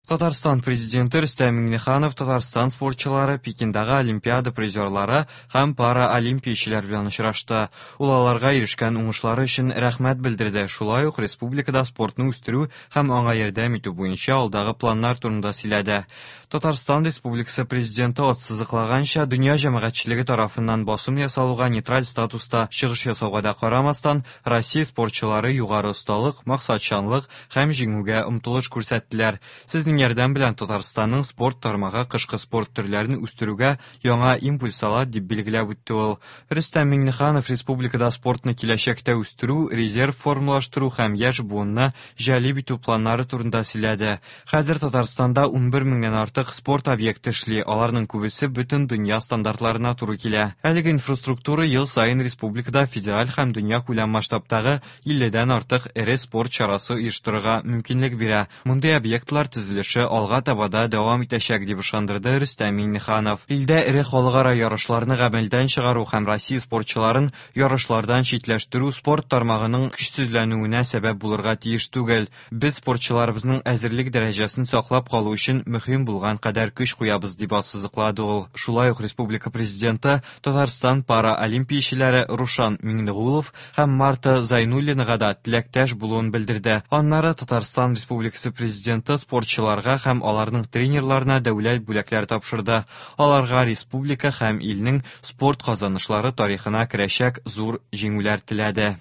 Татарстан Президенты Рөстәм Миңнеханов Татарстан спортчылары, Пекиндагы Олимпиада призерлары һәм параолимпиячеләр белән очрашты. Ул аларга ирешкән уңышлары өчен рәхмәт белдерде, шулай ук республикада спортны үстерү һәм аңа ярдәм итү буенча алдагы планнар турында сөйләде. Татарстан Республикасы Президенты ассызыклаганча, дөнья җәмәгатьчелеге тарафыннан басым ясалуга нейтраль статуста чыгыш ясауга да карамастан, Россия спортчылары югары осталык, максатчанлык һәм җиңүгә омтылыш күрсәттеләр. Сезнең ярдәм белән Татарстанның спорт тармагы кышкы спорт төрләрен үстерүгә яңа импульс ала, дип билгеләп үтте ул. Рөстәм Миңнеханов республикада спортны киләчәктә үстерү, резерв формалаштыру һәм яшь буынны җәлеп итү планнары турында сөйләде. Хәзер Татарстанда 11 меңнән артык спорт объекты эшли, аларның күбесе бөтен дөнья стандартларына туры килә. Әлеге инфраструктура ел саен республикада федераль һәм дөньякүләм масштабтагы 50дән артык эре спорт чарасы оештырырга мөмкинлек бирә. Мондый объектлар төзелеше алга таба да дәвам итәчәк, дип ышандырды Рөстәм Миңнеханов. Илдә эре халыкара ярышларны гамәлдән чыгару һәм Россия спортчыларын ярышлардан читләштерү спорт тармагының көчсезләнүенә сәбәп булырга тиеш түгел. Без спортчыларыбызның әзерлек дәрәҗәсен саклап калу өчен мөһим булган кадәр көч куябыз, дип ассызыклады ул. Шулай ук республика Президенты Татарстан параолимпиячеләре Рушан Миңнегулов һәм Марта Зайнуллинага да теләктәш булуын белдерде. Аннары Татарстан Республикасы Президенты спортчыларга һәм аларның тренерларына дәүләт бүләкләре тапшырды. Аларга республика һәм илнең спорт казанышлары тарихына керәчәк зур җиңүләр теләде.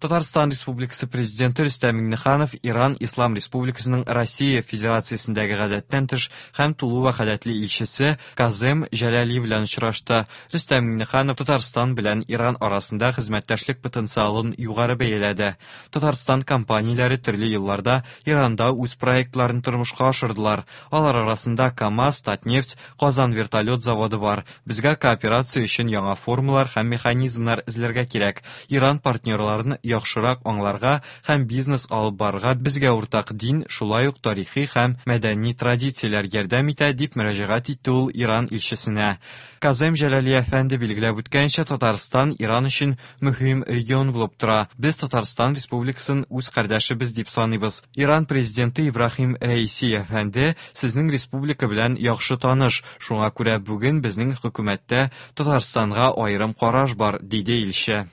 Татарстан Республикасы Президенты Рөстәм Миңнеханов Иран Ислам Республикасының Россия Федерациясендәге гадәттән тыш һәм тулы вәкаләтле илчесе Казем Җәләли белән очрашты. Рөстәм Миңнеханов Татарстан белән Иран арасында хезмәттәшлек потенциалын югары бәяләде. Татарстан компанияләре төрле елларда Иранда үз проектларын тормышка ашырдылар. Алар арасында КАМАЗ, Татнефть, Казан вертолет заводы бар. Безгә кооперация өчен яңа формалар һәм механизмнар эзләргә кирәк. Иран партнерларын яхшырак аңларга һәм бизнес алып барырга безгә уртак дин, шулай ук тарихи һәм мәдәни традицияләр ярдәм итә, дип мөрәҗәгать итте ул Иран илчесенә. Казем Җәләли әфәнде билгеләп үткәнчә, Татарстан Иран өчен мөһим регион булып тора. Без Татарстан Республикасын үз кардәшебез дип саныйбыз. Иран президенты Ибраһим Рәиси әфәнде сезнең республика белән яхшы таныш, шуңа күрә бүген безнең хөкүмәттә Татарстанга аерым караш бар, диде илче.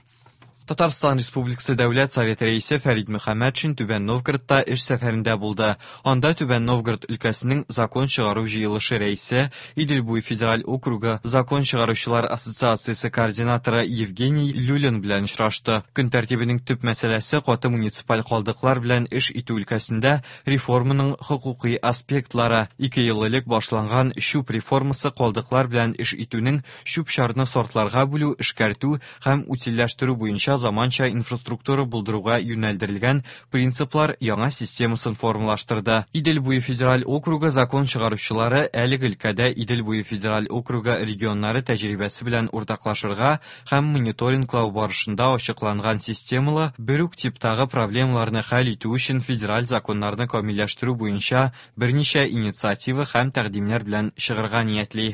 Татарстан Республикасы Дәүләт Советы рәисе Фәрид Мөхәммәтшин Түбән Новгородта эш сәфәрендә булды. Анда Түбән Новгород өлкәсенең закон чыгару җыелышы рәисе, Идел буе федераль округы закон чыгаручылар ассоциациясе координаторы Евгений Люлин белән очрашты. Көн тәртибенең төп мәсьәләсе каты муниципаль калдыклар белән эш итү өлкәсендә реформаның хокукый аспектлары. Ике ел элек башланган чүп реформасы калдыклар белән эш итүнең чүп-чарны сортларга бүлү, эшкәртү һәм утильләштерү буенча заманча инфраструктура булдыруга юнәлдерелгән принциплар яңа системасын формалаштырды. Идел буе федераль округы закон чыгаручылары әлеге өлкәдә Идел буе федераль округы регионнары тәҗрибәсе белән уртаклашырга һәм мониторинглау барышында ачыкланган системалы бер үк типтагы проблемаларны хәл итү өчен федераль законнарны камилләштерү буенча берничә инициатива һәм тәкъдимнәр белән чыгарга ниятли.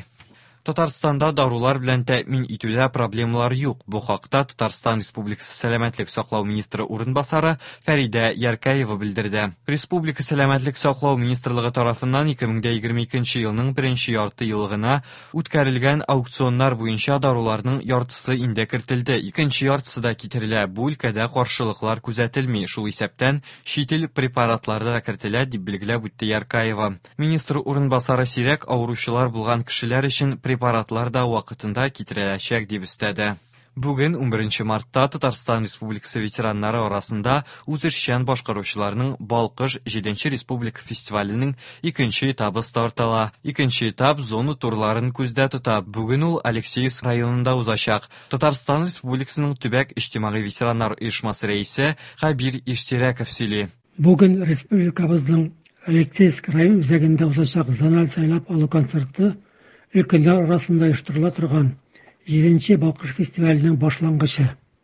Татарстанда дарулар белән тәэмин итүдә проблемалар юк. Бу хакта Татарстан Республикасы сәламәтлек саклау министры урынбасары Фәридә Яркәева белдерде. Республика сәламәтлек саклау министрлыгы тарафыннан 2022 елның беренче ярты еллыгына Үткәрелгән аукционнар буенча даруларның яртысы инде кертелде, икенче яртысы да китерелә. Бу өлкәдә каршылыклар күзәтелми, шул исәптән чит ил препаратлары да кертелә, дип билгеләп үтте Яркаева. Министр урынбасары сирәк авыручылар булган кешеләр өчен препаратлар да вакытында китереләчәк, дип өстәде. Бүген, 11 мартта, Татарстан Республикасы ветераннары арасында үзешчән башкаручыларның Балкыш 7 республика фестиваленең икенче этабы старт ала. Икенче этап зона турларын күздә тота. Бүген ул Алексеевск районында узачак. Татарстан Республикасының төбәк иҗтимагый ветераннар оешмасы рәисе Хәбир Иштирәков сөйли. Бүген республикабызның Алексеевск район үзәгендә узачак зональ сайлап алу концерты өлкәннәр арасында оештырыла торган җиденче Балкыш фестиваленең башлангычы.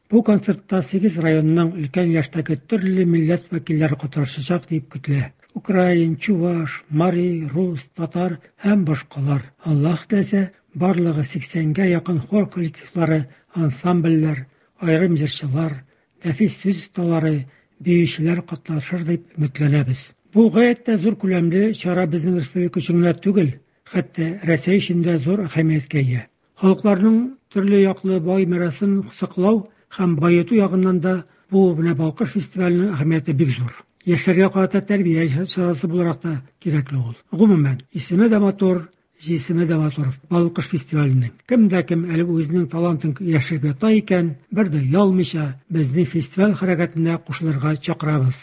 Бу концертта сигез районның өлкән яшьтәге төрле милләт вәкилләре катнашачак дип көтелә. Украин, чуваш, мари, рус, татар һәм башкалар. Аллаһ теләсә, барлыгы 80гә якын хор коллективлары, ансамбльләр, аерым җырчылар, нәфис сүз осталары, биючеләр катнашыр дип өметләнәбез. Бу гаять тә зур күләмле чара безнең республика өчен генә түгел, хәтта Рәсәй өчен дә зур әһәмияткә ия. Халыкларның төрле яклы бай мирасын саклау һәм баету ягыннан да бу менә Балкыш фестиваленең әһәмияте бик зур. Яшьләргә карата тәрбия чарасы буларак та кирәкле ул. Гомумән, исеме дә матур, җисеме дә матур Балкыш фестиваленең. Кем дә кем әле үзенең талантын яшереп ята икән, бер дә оялмыйча, безнең фестиваль хәрәкәтенә кушылырга чакырабыз.